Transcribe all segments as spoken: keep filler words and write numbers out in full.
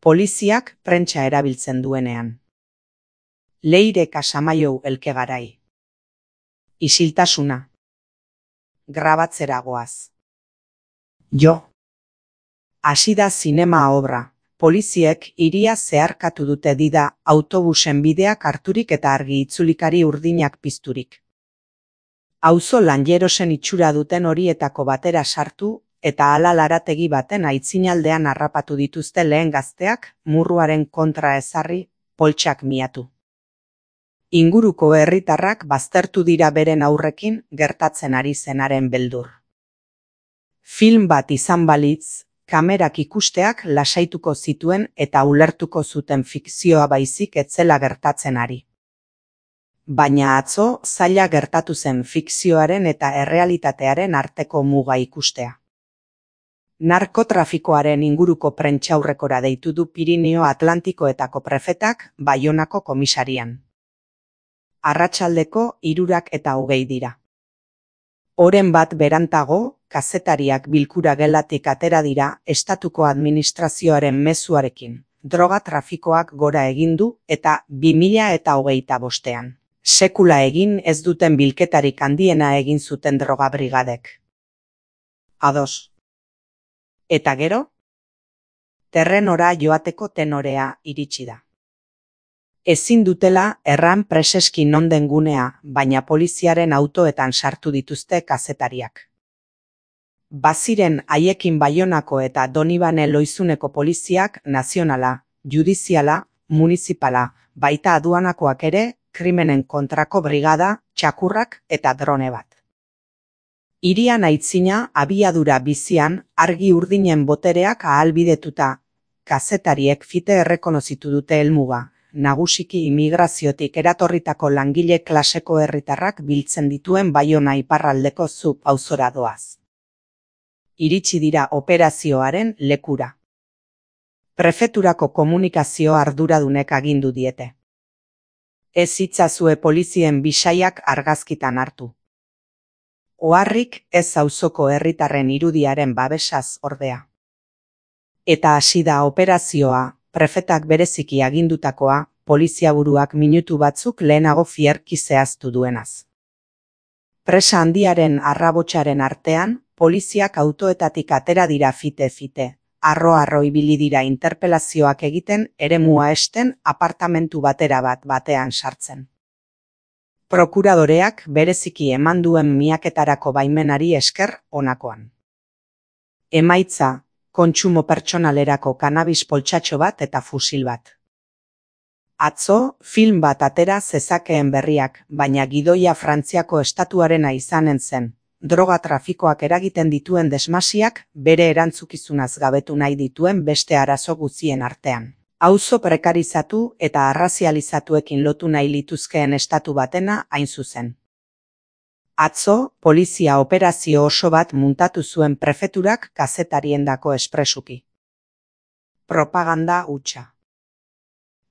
Poliziak prentsa erabiltzen duenean. Leire Casamaiou elkegarai. Isiltasuna. Grabatzera goaz. Jo. Hasi da zinema obra. Poliziek hiria zeharkatu dute dida autobusen bideak harturik eta argi itzulikari urdinak pizturik. Auzo lanjerosen itxura duten horietako batera sartu eta hala larategi baten aitzinaldean harrapatu dituzte lehen gazteak murruaren kontra ezarri, poltsak miatu. Inguruko herritarrak baztertu dira beren aurrekin gertatzen ari zenaren beldur. Film bat izan balitz, kamerak ikusteak lasaituko zituen eta ulertuko zuten fikzioa baizik etzela gertatzen ari. Baina atzo zaila gertatu zen fikzioaren eta errealitatearen arteko muga ikustea. Narkotrafikoaren inguruko prentsaurrekora deitu du Pirinio Atlantikoetako prefetak Baionako komisarian. Arratsaldeko hirurak eta hogei dira. Oren bat berantago, kazetariak bilkura gelatik atera dira estatuko administrazioaren mezuarekin. Droga trafikoak gora egin du eta bi mila eta hogeita bostean. Sekula egin ez duten bilketarik handiena egin zuten droga brigadek. Ados. Eta gero? Terrenora joateko tenorea iritsi da. Ezin dutela erran preseski non den gunea, baina poliziaren autoetan sartu dituzte kazetariak. Baziren haiekin Baionako eta Donibane Loizuneko poliziak nazionala, judiziala, munizipala, baita aduanakoak ere, krimenen kontrako brigada, txakurrak eta drone bat. Hirian aitzina abiadura bizian argi urdinen botereak ahalbidetuta, kazetariek fite errekonozitu dute helmuga. Nagusiki imigraziotik eratorritako langile klaseko herritarrak biltzen dituen Baiona iparraldeko zub auzora doaz. Iritsi dira operazioaren lekura. Prefeturako komunikazio arduradunek agindu diete. Ez itzazue polizien bisaiak argazkitan hartu. Oharrik ez auzoko herritarren irudiaren babesaz ordea. Eta hasi da operazioa. Prefetak bereziki agindutakoa, poliziaburuak minutu batzuk lehenago fierki zehaztu duenaz. Presa handiaren arrabotsaren artean, poliziak autoetatik atera dira fite-fite, arro-arro ibili dira interpelazioak egiten eremua esten apartamentu batera bat batean sartzen. Prokuradoreak bereziki eman duen miaketarako baimenari esker honakoan. Emaitza, kontsumo pertsonalerako kanabis poltsatxo bat eta fusil bat. Atzo, film bat atera zezakeen berriak, baina gidoia Frantziako estatuarena izanen zen. Droga trafikoak eragiten dituen desmasiak bere erantzukizunaz gabetu nahi dituen beste arazo guztien artean. Auzo prekarizatu eta arrazializatuekin lotu nahi lituzkeen estatu batena hain zuzen. Atzo, polizia operazio oso bat muntatu zuen prefeturak kazetariendako espresuki. Propaganda hutsa.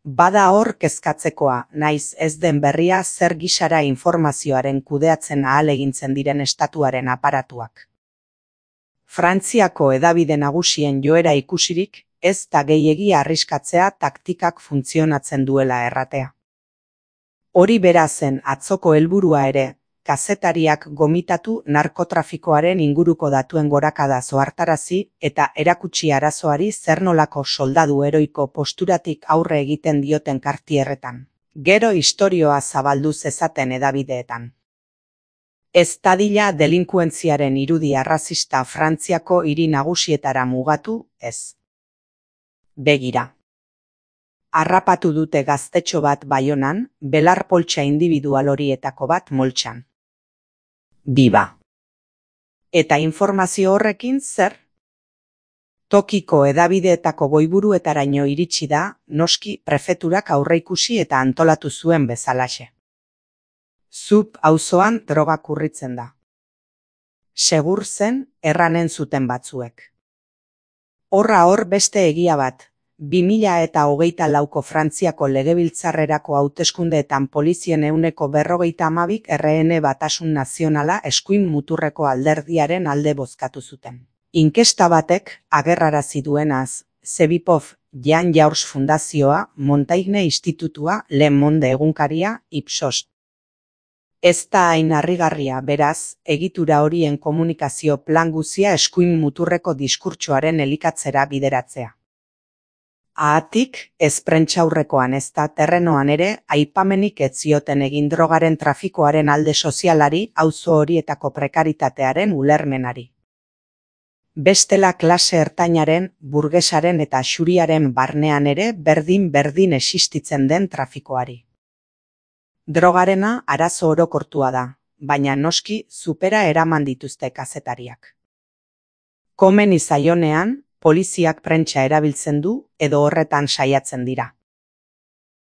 Bada hor kezkatzekoa, naiz ez den berria zer gisara informazioaren kudeatzen ahalegintzen diren estatuaren aparatuak. Frantziako hedabide nagusien joera ikusirik, ez da gehiegi arriskatzea taktikak funtzionatzen duela erratea. Hori bera zen atzoko helburua ere, kazetariak gomitatu narkotrafikoaren inguruko datuen gorakada zohartarazi eta erakutsi arazoari zer nolako soldadu heroiko posturatik aurre egiten dioten kartierretan. Gero istorioa zabaldu zezaten hedabideetan. Ez dadila delinkuentziaren irudi arrazista Frantziako hiri nagusietara mugatu, ez. Begira. Harrapatu dute gaztetxo bat Baionan, belar poltsa individual horietako bat moltsan. Biba. Eta informazio horrekin zer? Tokiko hedabideetako goiburuetaraino iritsi da, noski prefeturak aurreikusi eta antolatu zuen bezalaxe. Zub auzoan droga kurritzen da. Segur zen erranen zuten batzuek. Horra hor beste egia bat. bi mila eta hogeita lauko Frantziako legebiltzarrerako hauteskundeetan polizien ehuneko berrogeita hamabik R N Batasun Nazionala eskuin muturreko alderdiaren alde bozkatu zuten. Inkesta batek agerrarazi duenaz, Zebipov Jan Jaurs Fundazioa, Montaigne Institutua, Le Monde egunkaria, Ipsos. Ez da hain harrigarria, beraz, egitura horien komunikazio plan guzia eskuin muturreko diskurtsoaren elikatzera bideratzea. Haatik, ez prentsaurrekoan ezta terrenoan ere, aipamenik ez zioten egin drogaren trafikoaren alde sozialari, auzo horietako prekaritatearen ulermenari. Bestela klase ertainaren, burgesaren eta xuriaren barnean ere berdin-berdin existitzen den trafikoari. Drogarena arazo orokortua da, baina noski supera eraman dituzte kazetariak. Komeni zaionean, poliziak prentsa erabiltzen du edo horretan saiatzen dira.